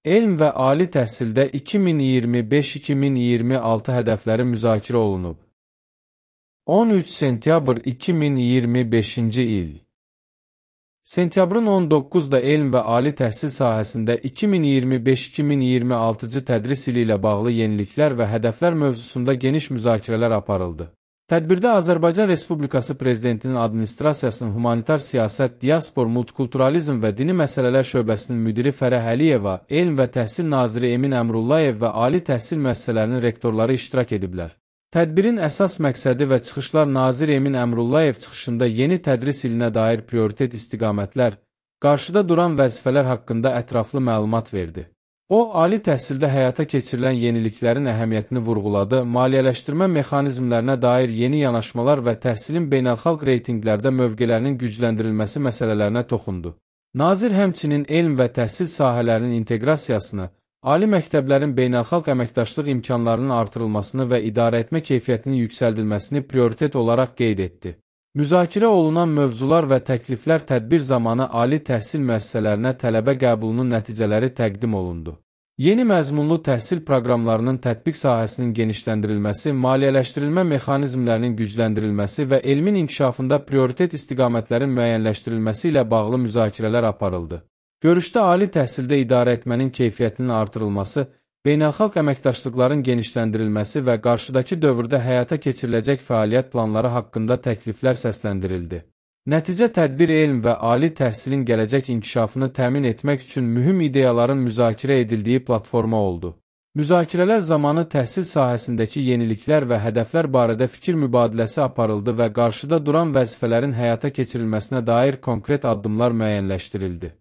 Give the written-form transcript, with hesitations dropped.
Elm və ali təhsildə 2025-2026 hədəfləri müzakirə olunub. 13 sentyabr 2025-ci il. Sentyabrın 19-da elm və ali təhsil sahəsində 2025-2026-cı tədris ili ilə bağlı yeniliklər və hədəflər mövzusunda geniş müzakirələr aparıldı. Tədbirdə Azərbaycan Respublikası Prezidentinin Administrasiyasının Humanitar Siyasət, Diaspor, Multikulturalizm və Dini Məsələlər Şöbəsinin müdiri Fərəh Əliyeva, Elm və Təhsil Naziri Emin Əmrullayev və ali təhsil müəssisələrinin rektorları iştirak ediblər. Tədbirin əsas məqsədi və çıxışlar nazir Emin Əmrullayev çıxışında yeni tədris ilinə dair prioritet istiqamətlər, qarşıda duran vəzifələr haqqında ətraflı məlumat verdi. O, ali təhsildə həyata keçirilən yeniliklərin əhəmiyyətini vurğuladı, maliyyələşdirmə mexanizmlərinə dair yeni yanaşmalar və təhsilin beynəlxalq reytinqlərdə mövqelərinin gücləndirilməsi məsələlərinə toxundu. Nazir həmçinin elm və təhsil sahələrinin inteqrasiyasını, ali məktəblərin beynəlxalq əməkdaşlıq imkanlarının artırılmasını və idarəetmə keyfiyyətinin yüksəldilməsini prioritet olaraq qeyd etdi. Müzakirə olunan mövzular və təkliflər tədbir zamanı ali təhsil müəssisələrinə tələbə qəbulunun nəticələri təqdim olundu. Yeni məzmunlu təhsil proqramlarının tətbiq sahəsinin genişləndirilməsi, maliyyələşdirilmə mexanizmlərinin gücləndirilməsi və elmin inkişafında prioritet istiqamətlərin müəyyənləşdirilməsi ilə bağlı müzakirələr aparıldı. Görüşdə ali təhsildə idarəetmənin keyfiyyətinin artırılması, beynəlxalq əməkdaşlıqların genişləndirilməsi və qarşıdakı dövrdə həyata keçiriləcək fəaliyyət planları haqqında təkliflər səsləndirildi. Nəticə tədbir elm və ali təhsilin gələcək inkişafını təmin etmək üçün mühüm ideyaların müzakirə edildiyi platforma oldu. Müzakirələr zamanı təhsil sahəsindəki yeniliklər və hədəflər barədə fikir mübadiləsi aparıldı və qarşıda duran vəzifələrin həyata keçirilməsinə dair konkret addımlar müəyyənləşdirildi.